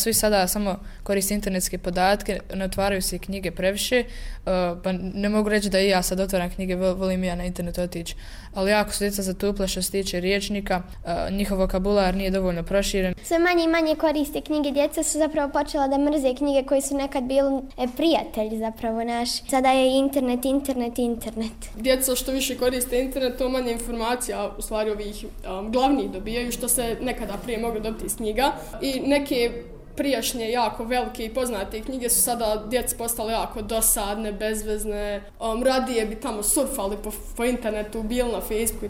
svi sada samo koriste internetske podatke, ne otvaraju se knjige previše, pa ne mogu reći da i ja sad otvaram knjige, volim ja na internetu otići, ali jako su djeca zatupla što se tiče rječnika, njihov vokabular nije dovoljno proširen. Sve manje i manje koriste knjige, djeca su zapravo počela da mrze knjige koji su nekad bili prijatelji zapravo naši. Sada je internet. Djeca što više koriste internet, to manje informacija u stvari ovih glavnih dobijaju što se nekada prije moglo dobiti iz knjiga i neke prijašnje jako velike i poznate knjige su sada djeci postale jako dosadne, bezvezne, radije bi tamo surfali po internetu, bili na Facebooku.